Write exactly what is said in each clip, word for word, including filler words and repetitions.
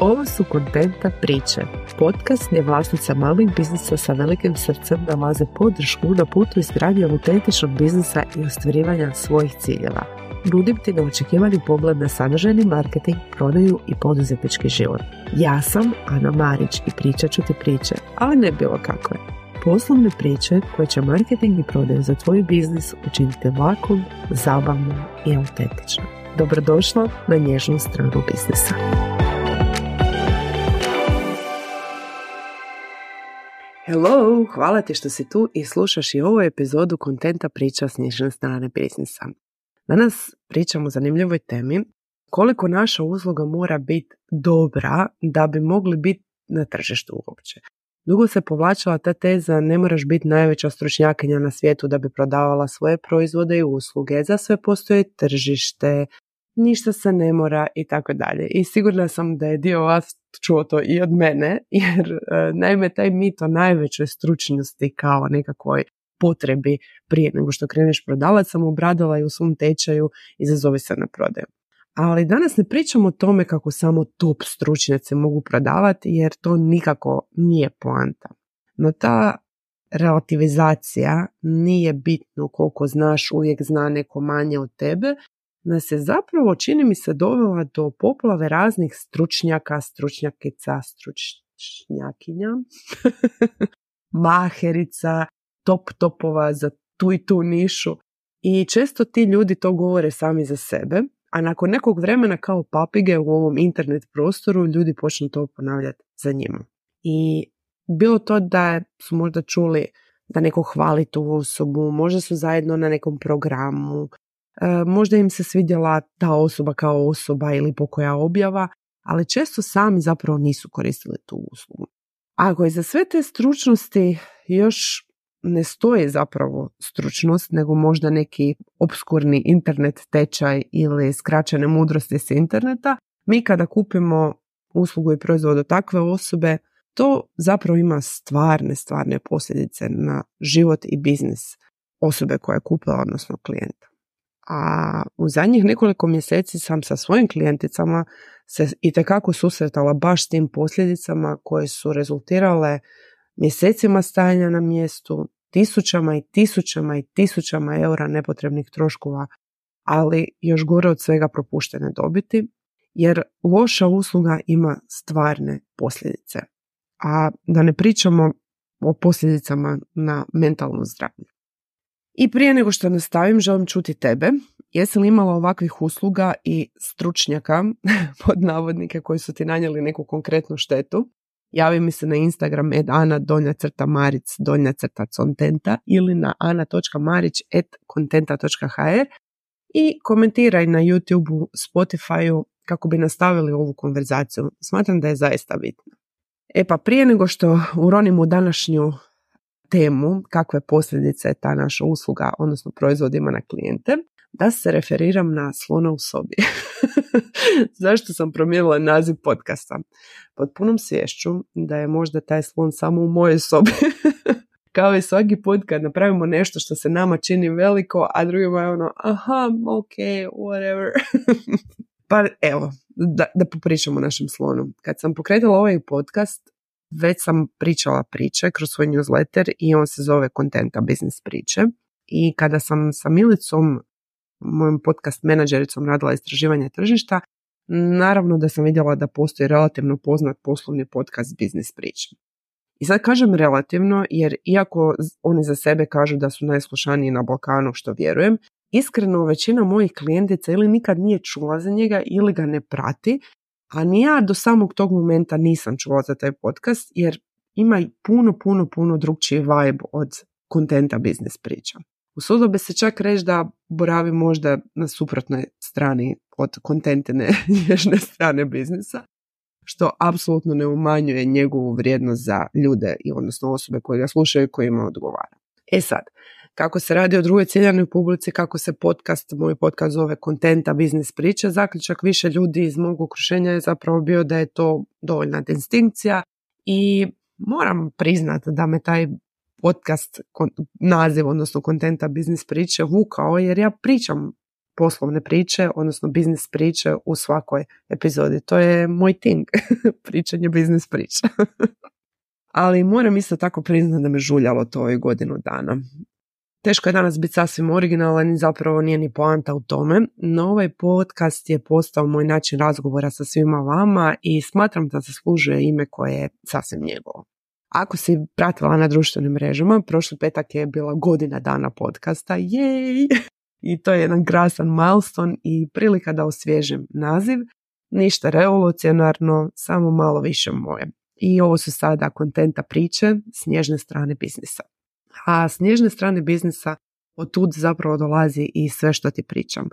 Ovo su Kontenta priče, podcast gdje vlasnica malih biznisa sa velikim srcem nalaze podršku na putu izgradnje autentičnog biznisa i ostvarivanja svojih ciljeva. Nudim ti neočekivani pogled na sadržajni marketing, prodaju i poduzetnički život. Ja sam Ana Marić i pričat ću ti priče, ali ne bilo kakve. Poslovne priče koje će marketing i prodaju za tvoj biznis učiniti lakom, zabavnom i autentičnom. Dobrodošla na nježnu stranu biznisa. Hello, hvala ti što si tu i slušaš i ovu epizodu Kontenta priča s nježne strane biznisa. Danas pričamo o zanimljivoj temi koliko naša usluga mora biti dobra da bi mogli biti na tržištu uopće. Dugo se povlačila ta teza ne moraš biti najveća stručnjakinja na svijetu da bi prodavala svoje proizvode i usluge, za sve postoji tržište, ništa se ne mora i tako dalje. I sigurna sam da je dio vas čuo to i od mene, jer e, naime taj mit o najvećoj stručnosti kao nekakvoj potrebi prije nego što kreneš prodavati sam obradila i u svom tečaju Izazovi se na prodaju. Ali danas ne pričamo o tome kako samo top stručnjaci mogu prodavati, jer to nikako nije poanta. No ta relativizacija nije bitno koliko znaš, uvijek zna neko manje od tebe, nas je zapravo, čini mi se, dovela do poplave raznih stručnjaka, stručnjakica, stručnjakinja, maherica, top topova za tu i tu nišu. I često ti ljudi to govore sami za sebe, a nakon nekog vremena kao papige u ovom internet prostoru ljudi počnu to ponavljati za njima. I bilo to da su možda čuli da neko hvali tu osobu, možda su zajedno na nekom programu, e, možda im se svidjela ta osoba kao osoba ili pokoja objava, ali često sami zapravo nisu koristili tu uslugu. Ako je za sve te stručnosti još ne stoji zapravo stručnost, nego možda neki obskurni internet tečaj ili skraćene mudrosti s interneta, mi kada kupimo uslugu i proizvod od takve osobe, to zapravo ima stvarne, stvarne posljedice na život i biznis osobe koja je kupila, odnosno klijenta. A u zadnjih nekoliko mjeseci sam sa svojim klijenticama se itekako susretala baš s tim posljedicama koje su rezultirale mjesecima stajanja na mjestu, tisućama i tisućama i tisućama eura nepotrebnih troškova, ali još gore od svega propuštene dobiti, jer loša usluga ima stvarne posljedice. A da ne pričamo o posljedicama na mentalno zdravlje. I prije nego što nastavim, želim čuti tebe. Jesi li imala ovakvih usluga i stručnjaka, pod navodnike, koji su ti nanijeli neku konkretnu štetu? Javi mi se na Instagram at ana donja crta maric donja crta contenta ili na ana točka marić at kontenta točka hr i komentiraj na YouTubeu, Spotifyu kako bi nastavili ovu konverzaciju. Smatram da je zaista bitno. E pa prije nego što uronim u današnju temu kakve posljedice je ta naša usluga, odnosno proizvod ima na klijente, da se referiram na slona u sobi. Zašto sam promijenila naziv podcasta? Pod punom sviješću da je možda taj slon samo u mojoj sobi. Kao i svaki put kad napravimo nešto što se nama čini veliko, a drugima je ono, aha, ok, whatever. Pa evo, da, da popričamo o našem slonu. Kad sam pokretala ovaj podcast, već sam pričala priče kroz svoj newsletter i on se zove Kontenta biznis priče. I kada sam sa Milicom, mojom podcast menadžericom, radila istraživanje tržišta, naravno da sam vidjela da postoji relativno poznat poslovni podcast biznis priče. I sad kažem relativno, jer iako oni za sebe kažu da su najslušaniji na Balkanu, što vjerujem, iskreno većina mojih klijentica ili nikad nije čula za njega ili ga ne prati, a ni ja do samog tog momenta nisam čula za taj podcast, jer ima puno, puno, puno drugčiji vibe od Kontenta biznis priča. Usudila bi se čak reći da boravi možda na suprotnoj strani od kontentine nježne strane biznisa, što apsolutno ne umanjuje njegovu vrijednost za ljude i odnosno osobe koje ga slušaju i kojima odgovara. E sad, kako se radi o drugoj ciljanoj publici, kako se podcast, moj podcast zove Kontenta biznis priče, zaključak više ljudi iz mog okruženja je zapravo bio da je to dovoljna distinkcija i moram priznati da me taj podcast naziv, odnosno Kontenta biznis priče vukao, jer ja pričam poslovne priče, odnosno biznis priče u svakoj epizodi. To je moj ting, pričanje biznis priča. Ali moram isto tako priznati da me žuljalo to ovih godinu dana. Teško je danas biti sasvim originalan i zapravo nije ni poanta u tome, no ovaj podcast je postao moj način razgovora sa svima vama i smatram da zaslužuje ime koje je sasvim njegovo. Ako si pratila na društvenim mrežama, prošli petak je bila godina dana podcasta, jej! I to je jedan krasan milestone i prilika da osvježim naziv, ništa revolucionarno, samo malo više moje. I ovo su sada kontenta priče s nježne strane biznisa. A s nježne strane biznisa od tud zapravo dolazi i sve što ti pričam.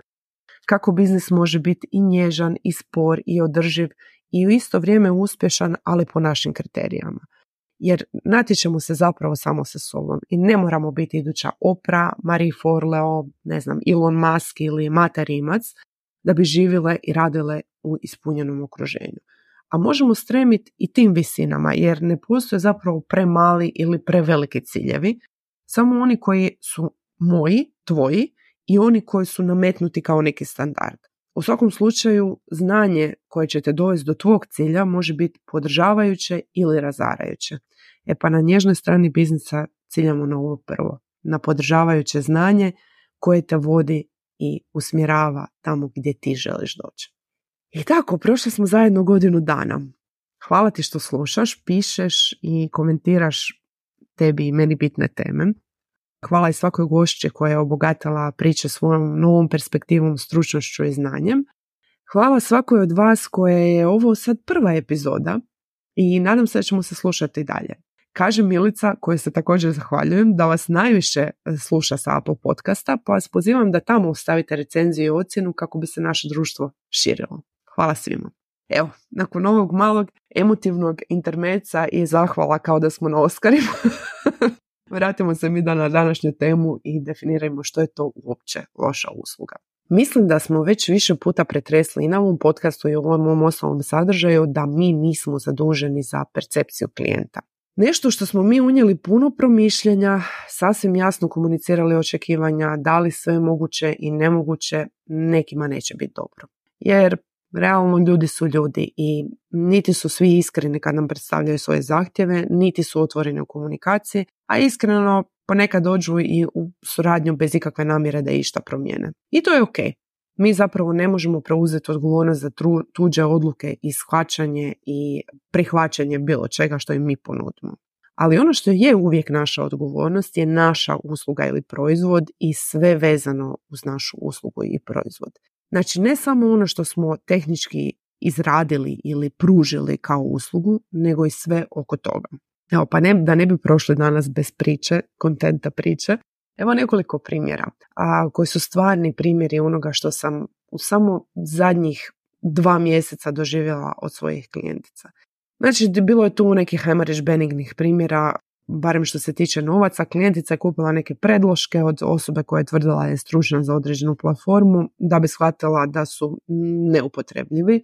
Kako biznis može biti i nježan, i spor, i održiv, i u isto vrijeme uspješan, ali po našim kriterijama. Jer natječemo se zapravo samo sa sobom i ne moramo biti iduća Oprah, Marie Forleo, ne znam, Elon Musk ili Mata Rimac da bi živjele i radile u ispunjenom okruženju. A možemo stremiti i tim visinama jer ne postoje zapravo premali ili preveliki ciljevi, samo oni koji su moji, tvoji i oni koji su nametnuti kao neki standard. U svakom slučaju, znanje koje će te dovesti do tvog cilja može biti podržavajuće ili razarajuće. E pa na nježnoj strani biznisa ciljamo na ovo prvo, na podržavajuće znanje koje te vodi i usmjerava tamo gdje ti želiš doći. I tako, prošli smo zajedno godinu dana. Hvala ti što slušaš, pišeš i komentiraš tebi i meni bitne teme. Hvala i svakoj gošći koja je obogatila priče svojom novom perspektivom, stručnošću i znanjem. Hvala svakoj od vas koja je ovo sad prva epizoda i nadam se da ćemo se slušati dalje. Kaže Milica, kojoj se također zahvaljujem, da vas najviše sluša sa Apple podcasta, pa vas pozivam da tamo ostavite recenziju i ocjenu kako bi se naše društvo širilo. Hvala svima. Evo, nakon ovog malog emotivnog intermeca i zahvala kao da smo na Oscarima, vratimo se mi da na današnju temu i definirajmo što je to uopće loša usluga. Mislim da smo već više puta pretresli i na ovom podcastu i u ovom osnovnom sadržaju da mi nismo zaduženi za percepciju klijenta. Nešto što smo mi unijeli puno promišljanja, sasvim jasno komunicirali očekivanja, dali sve moguće i nemoguće, nekima neće biti dobro. Jer realno ljudi su ljudi i niti su svi iskreni kad nam predstavljaju svoje zahtjeve, niti su otvoreni u komunikaciji, a iskreno ponekad dođu i u suradnju bez ikakve namjere da išta promijene. I to je ok. Mi zapravo ne možemo preuzeti odgovornost za tru, tuđe odluke i shvaćanje i prihvaćanje bilo čega što im mi ponudimo. Ali ono što je uvijek naša odgovornost je naša usluga ili proizvod i sve vezano uz našu uslugu i proizvod. Znači ne samo ono što smo tehnički izradili ili pružili kao uslugu, nego i sve oko toga. Evo, pa ne, da ne bi prošli danas bez priče, kontenta priče, evo nekoliko primjera, a koji su stvarni primjeri onoga što sam u samo zadnjih dva mjeseca doživjela od svojih klijentica. Znači, bilo je tu nekih, hajmo reći, benignih primjera, barem što se tiče novaca. Klijentica je kupila neke predloške od osobe koja je tvrdila je stručna za određenu platformu da bi shvatila da su neupotrebljivi,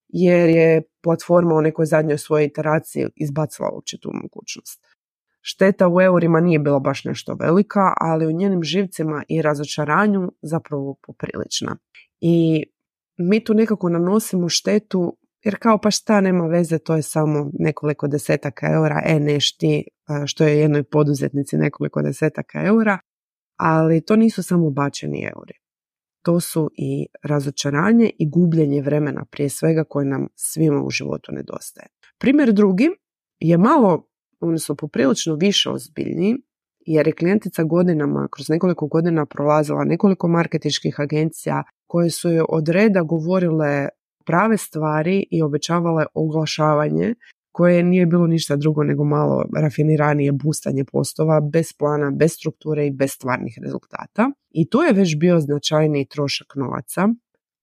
jer je platforma u nekoj zadnjoj svojoj iteraciji izbacila uopće tu mogućnost. Šteta u eurima nije bila baš nešto velika, ali u njenim živcima i razočaranju zapravo poprilična. I mi tu nekako nanosimo štetu, jer kao pa šta, nema veze, to je samo nekoliko desetaka eura, e neš ti, što je jednoj poduzetnici nekoliko desetaka eura, ali to nisu samo bačeni euri. To su i razočaranje i gubljenje vremena prije svega koje nam svima u životu nedostaje. Primjer drugi je malo, odnosno poprilično više ozbiljniji, jer je klijentica godinama, kroz nekoliko godina prolazila nekoliko marketinških agencija koje su joj od reda govorile prave stvari i obećavale oglašavanje koje nije bilo ništa drugo nego malo rafiniranije boostanje postova bez plana, bez strukture i bez stvarnih rezultata. I to je već bio značajniji trošak novaca,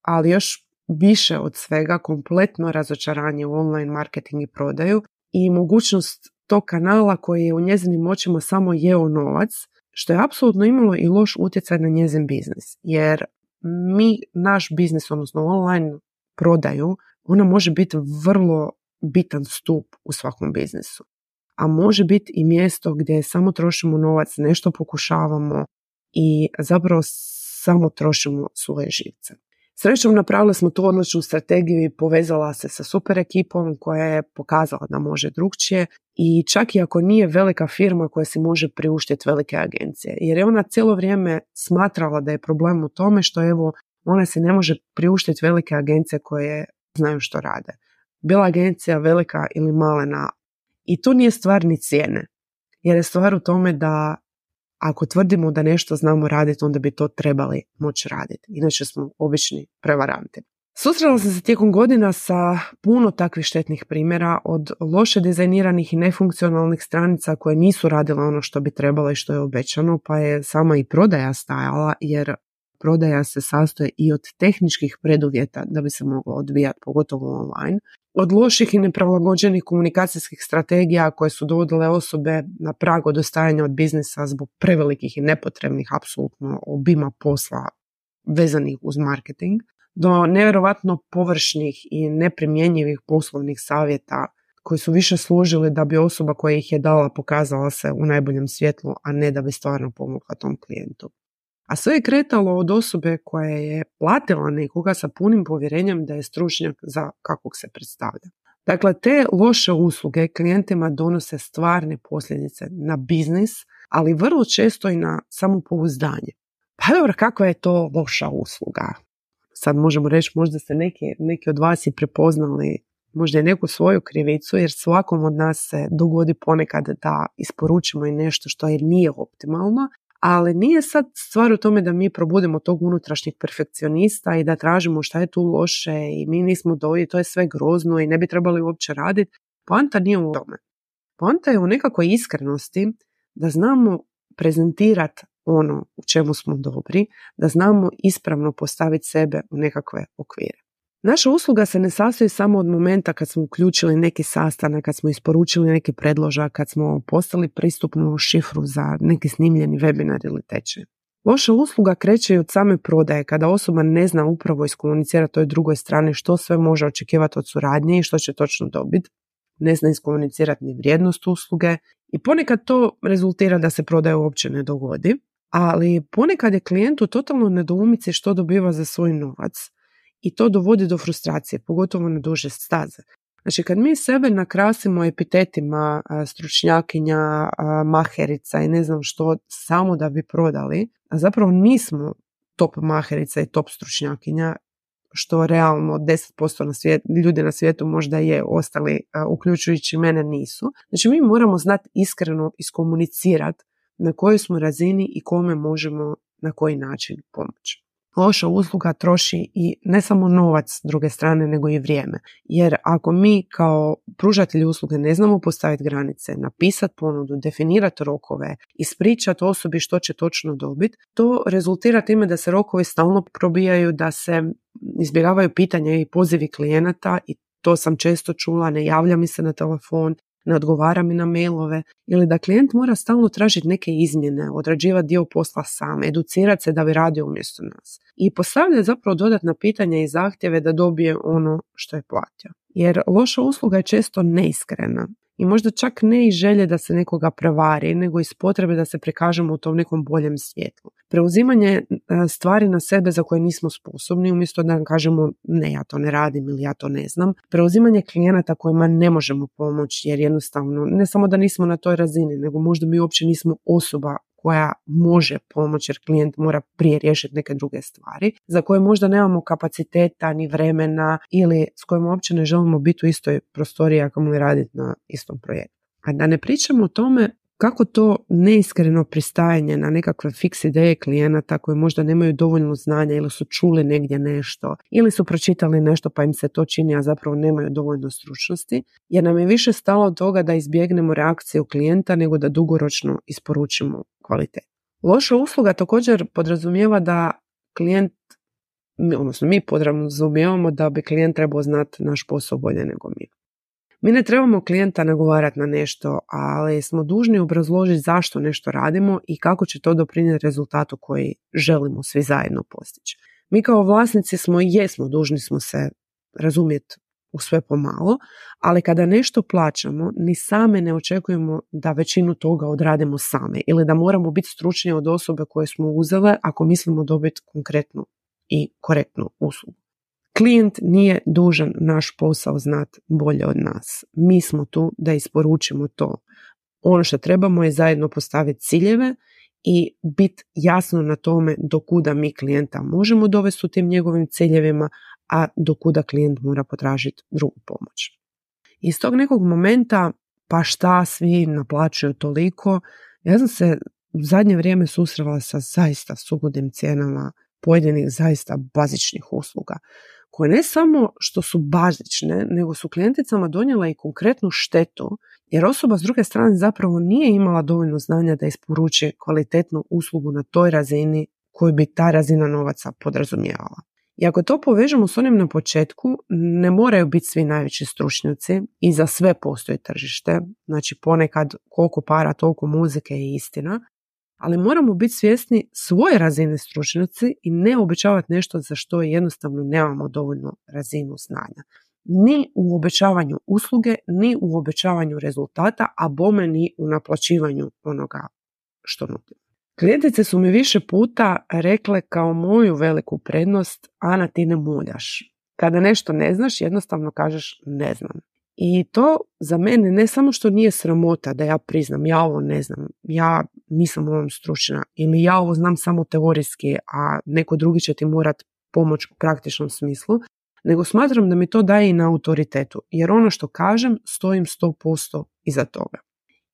ali još više od svega kompletno razočaranje u online marketing i prodaju i mogućnost tog kanala koji je u njezinim očima samo jeo novac, što je apsolutno imalo i loš utjecaj na njezin biznis. Jer mi, naš biznis, odnosno online prodaju, ona može biti vrlo bitan stup u svakom biznisu. A može biti i mjesto gdje samo trošimo novac, nešto pokušavamo i zapravo samo trošimo svoje živce. Srećom napravili smo tu odličnu strategiju i povezala se sa super ekipom koja je pokazala da može drugčije i čak i ako nije velika firma koja si može priuštiti velike agencije. Jer je ona cijelo vrijeme smatrala da je problem u tome što evo ona se ne može priuštiti velike agencije koje znaju što rade. Bila agencija velika ili malena. I tu nije stvar ni cijene. Jer je stvar u tome da ako tvrdimo da nešto znamo raditi, onda bi to trebali moći raditi. Inače smo obični prevaranti. Susrela sam se tijekom godina sa puno takvih štetnih primjera, od loše dizajniranih i nefunkcionalnih stranica koje nisu radile ono što bi trebalo i što je obećano, pa je sama i prodaja stajala, jer prodaja se sastoji i od tehničkih preduvjeta da bi se moglo odvijati, pogotovo online. Od loših i neprilagođenih komunikacijskih strategija koje su dovodile osobe na prag odustajanja od biznisa zbog prevelikih i nepotrebnih apsolutno obima posla vezanih uz marketing, do nevjerovatno površnih i neprimjenjivih poslovnih savjeta koji su više služili da bi osoba koja ih je dala pokazala se u najboljem svjetlu, a ne da bi stvarno pomogla tom klijentu. A sve je kretalo od osobe koja je platila nekoga sa punim povjerenjem da je stručnjak za kakvog se predstavlja. Dakle, te loše usluge klijentima donose stvarne posljedice na biznis, ali vrlo često i na samopouzdanje. Pa dobro, kakva je to loša usluga? Sad možemo reći, možda ste neki, neki od vas i prepoznali možda i neku svoju krivicu, jer svakom od nas se dogodi ponekad da isporučimo i nešto što je nije optimalno, ali nije sad stvar u tome da mi probudimo tog unutrašnjeg perfekcionista i da tražimo šta je tu loše i mi nismo doji, to je sve grozno i ne bi trebali uopće raditi. Poanta nije u tome. Poanta je u nekakvoj iskrenosti da znamo prezentirati ono u čemu smo dobri, da znamo ispravno postaviti sebe u nekakve okvire. Naša usluga se ne sastoji samo od momenta kad smo uključili neki sastanak, kad smo isporučili neki predložak, kad smo postali pristupnu šifru za neki snimljeni webinar ili tečaj. Loša usluga kreće i od same prodaje, kada osoba ne zna upravo iskomunicirati toj drugoj strani što sve može očekivati od suradnje i što će točno dobiti. Ne zna iskomunicirati ni vrijednost usluge i ponekad to rezultira da se prodaja uopće ne dogodi, ali ponekad je klijent u totalno nedoumici što dobiva za svoj novac. I to dovodi do frustracije, pogotovo na duže staze. Znači, kad mi sebe nakrasimo epitetima stručnjakinja, maherica i ne znam što, samo da bi prodali, a zapravo nismo top maherica i top stručnjakinja, što realno deset posto na svijet, ljudi na svijetu možda je, ostali, uključujući mene, nisu. Znači, mi moramo znati iskreno iskomunicirati na kojoj smo razini i kome možemo na koji način pomoći. Loša usluga troši i ne samo novac s druge strane, nego i vrijeme. Jer ako mi kao pružatelji usluge ne znamo postaviti granice, napisati ponudu, definirati rokove, ispričati osobi što će točno dobiti, to rezultira time da se rokovi stalno probijaju, da se izbjegavaju pitanja i pozivi klijenata i to sam često čula, ne javlja mi se na telefon, ne odgovara mi na mailove, ili da klijent mora stalno tražiti neke izmjene, odrađivati dio posla sam, educirati se da bi radio umjesto nas. I postavlja zapravo dodatna pitanja i zahtjeve da dobije ono što je platio. Jer loša usluga je često neiskrena i možda čak ne iz želje da se nekoga prevari, nego iz potrebe da se prikažemo u tom nekom boljem svjetlu. Preuzimanje stvari na sebe za koje nismo sposobni, umjesto da nam kažemo ne, ja to ne radim ili ja to ne znam. Preuzimanje klijenata kojima ne možemo pomoći jer jednostavno ne samo da nismo na toj razini, nego možda mi uopće nismo osoba koja može pomoći jer klijent mora prije riješiti neke druge stvari, za koje možda nemamo kapaciteta ni vremena ili s kojima uopće ne želimo biti u istoj prostoriji ako mu raditi na istom projektu. A da ne pričamo o tome kako to neiskreno pristajanje na nekakve fiks ideje klijenata koji možda nemaju dovoljno znanja ili su čuli negdje nešto ili su pročitali nešto pa im se to čini, a zapravo nemaju dovoljno stručnosti, jer nam je više stalo od toga da izbjegnemo reakciju klijenta nego da dugoročno isporučimo kvalitet. Loša usluga također podrazumijeva da klijent, odnosno mi podrazumijevamo da bi klijent trebao znati naš posao bolje nego mi. Mi ne trebamo klijenta nagovarati na nešto, ali smo dužni obrazložiti zašto nešto radimo i kako će to doprinijeti rezultatu koji želimo svi zajedno postići. Mi kao vlasnici smo i jesmo dužni smo se razumjeti u sve pomalo, ali kada nešto plaćamo, ni same ne očekujemo da većinu toga odradimo same ili da moramo biti stručniji od osobe koje smo uzele ako mislimo dobiti konkretnu i korektnu uslugu. Klijent nije dužan naš posao znati bolje od nas. Mi smo tu da isporučimo to. Ono što trebamo je zajedno postaviti ciljeve i biti jasno na tome do kuda mi klijenta možemo dovesti u tim njegovim ciljevima, a do kuda klijent mora potražiti drugu pomoć. Iz tog nekog momenta, pa šta svi naplaćuju toliko, ja sam se u zadnje vrijeme susrela sa zaista suludim cijenama pojedinih zaista bazičnih usluga, koje ne samo što su bazične, nego su klijenticama donijela i konkretnu štetu, jer osoba s druge strane zapravo nije imala dovoljno znanja da isporuči kvalitetnu uslugu na toj razini koju bi ta razina novaca podrazumijevala. I ako to povežemo s onim na početku, ne moraju biti svi najveći stručnjaci i za sve postoji tržište, znači ponekad koliko para, toliko muzike je istina, ali moramo biti svjesni svoje razine stručnjaci i ne obećavati nešto za što jednostavno nemamo dovoljno razinu znanja. Ni u obećavanju usluge, ni u obećavanju rezultata, a bome ni u naplaćivanju onoga što nudimo. Klijentice su mi više puta rekle kao moju veliku prednost: Ana, ti ne muljaš. Kada nešto ne znaš, jednostavno kažeš ne znam. I to za mene ne samo što nije sramota da ja priznam ja ovo ne znam, ja nisam u ovom stručna ili ja ovo znam samo teorijski, a neko drugi će ti morat pomoć u praktičnom smislu, nego smatram da mi to daje i na autoritetu, jer ono što kažem stojim sto posto iza toga.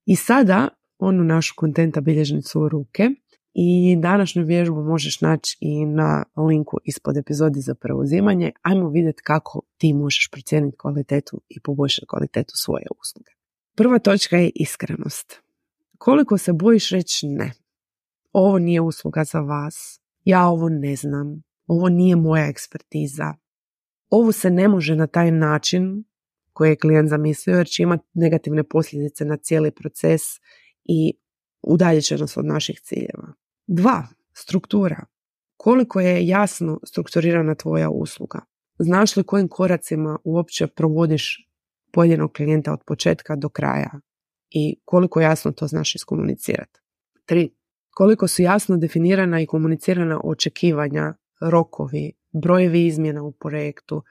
I sada onu našu kontenta bilježnicu u ruke i današnju vježbu možeš naći i na linku ispod epizodi za preuzimanje. Ajmo vidjeti kako ti možeš procijeniti kvalitetu i poboljšati kvalitetu svoje usluge. Prva točka je iskrenost. Koliko se bojiš reći ne? Ovo nije usluga za vas. Ja ovo ne znam. Ovo nije moja ekspertiza. Ovo se ne može na taj način koji je klijent zamislio, jer će imati negativne posljedice na cijeli proces i udaljit će nas od naših ciljeva. Dva, struktura. Koliko je jasno strukturirana tvoja usluga? Znaš li kojim koracima uopće provodiš pojedinog klijenta od početka do kraja? I koliko jasno to znaš iskomunicirati? Tri, koliko su jasno definirana i komunicirana očekivanja, rokovi, brojevi izmjena u projektu,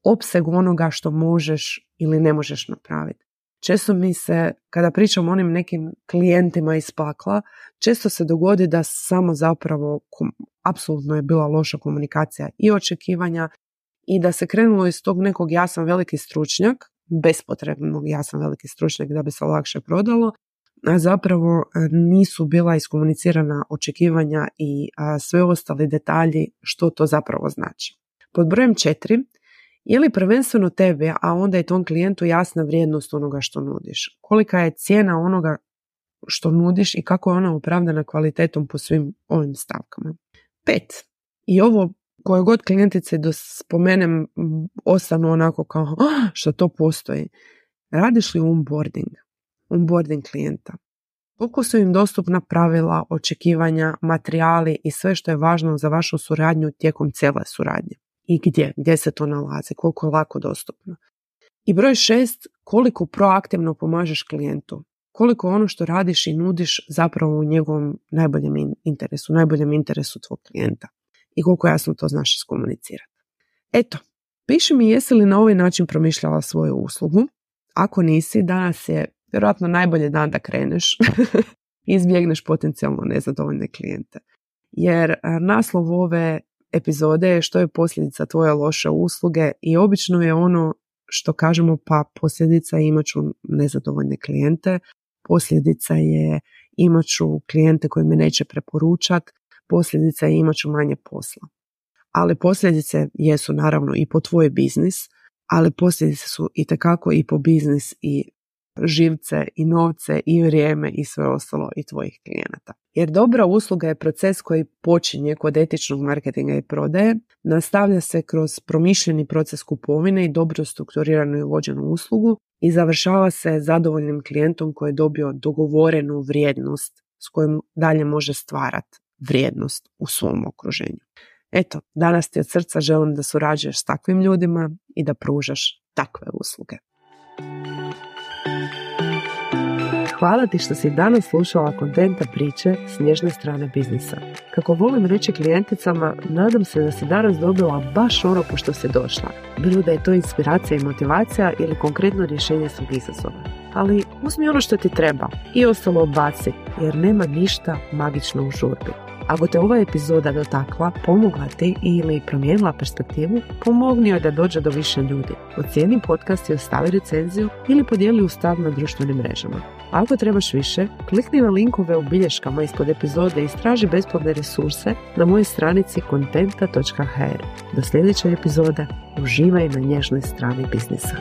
opseg onoga što možeš ili ne možeš napraviti. Često mi se, kada pričam o onim nekim klijentima iz pakla, često se dogodi da samo zapravo kom, apsolutno je bila loša komunikacija i očekivanja i da se krenulo iz tog nekog ja sam veliki stručnjak, bespotrebnog ja sam veliki stručnjak da bi se lakše prodalo, a zapravo nisu bila iskomunicirana očekivanja i a, sve ostali detalji što to zapravo znači. Pod brojem četiri, je li prvenstveno tebi, a onda i tom klijentu jasna vrijednost onoga što nudiš? Kolika je cijena onoga što nudiš i kako je ona opravdana kvalitetom po svim ovim stavkama? Pet, i ovo koje god klijentice da spomenem ostanu onako kao oh, što to postoji. Radiš li onboarding? Onboarding klijenta. Koliko su im dostupna pravila, očekivanja, materijali i sve što je važno za vašu suradnju tijekom cijele suradnje? I gdje? Gdje se to nalazi? Koliko je lako dostupno? I broj šest, koliko proaktivno pomažeš klijentu? Koliko ono što radiš i nudiš zapravo u njegovom najboljem interesu, najboljem interesu tvog klijenta? I koliko jasno to znaš iskomunicirati? Eto, piši mi jesi li na ovaj način promišljala svoju uslugu. Ako nisi, danas je vjerojatno najbolji dan da kreneš i izbjegneš potencijalno nezadovoljne klijente. Jer naslov ove epizode je što je posljedica tvoje loše usluge i obično je ono što kažemo pa posljedica je imat ću nezadovoljne klijente, posljedica je imat ću klijente koji me neće preporučat, posljedica je imat ću manje posla. Ali posljedice jesu naravno i po tvoj biznis, ali posljedice su itekako i po biznis i živce i novce i vrijeme i sve ostalo i tvojih klijenata. Jer dobra usluga je proces koji počinje kod etičnog marketinga i prodaje, nastavlja se kroz promišljeni proces kupovine i dobro strukturiranu i vođenu uslugu i završava se zadovoljnim klijentom koji je dobio dogovorenu vrijednost s kojom dalje može stvarati vrijednost u svom okruženju. Eto, danas ti od srca želim da surađuješ s takvim ljudima i da pružaš takve usluge. Hvala ti što si danas slušala Kontenta priče s nježne strane biznisa. Kako volim reći klijenticama, nadam se da si danas dobila baš ono po što si došla. Bilo da je to inspiracija i motivacija ili konkretno rješenje svog izazova. Ali uzmi ono što ti treba i ostalo odbaci, jer nema ništa magično u žurbi. Ako te ova epizoda dotakla, pomogla ti ili promijenila perspektivu, pomogni joj da dođe do više ljudi. Ocijeni podcast i ostavi recenziju ili podijeli u stav na društvenim mrežama. Ako trebaš više, klikni na linkove u bilješkama ispod epizode i istraži besplatne resurse na mojoj stranici kontenta točka h r. Do sljedeće epizode, uživaj na nježnoj strani biznisa.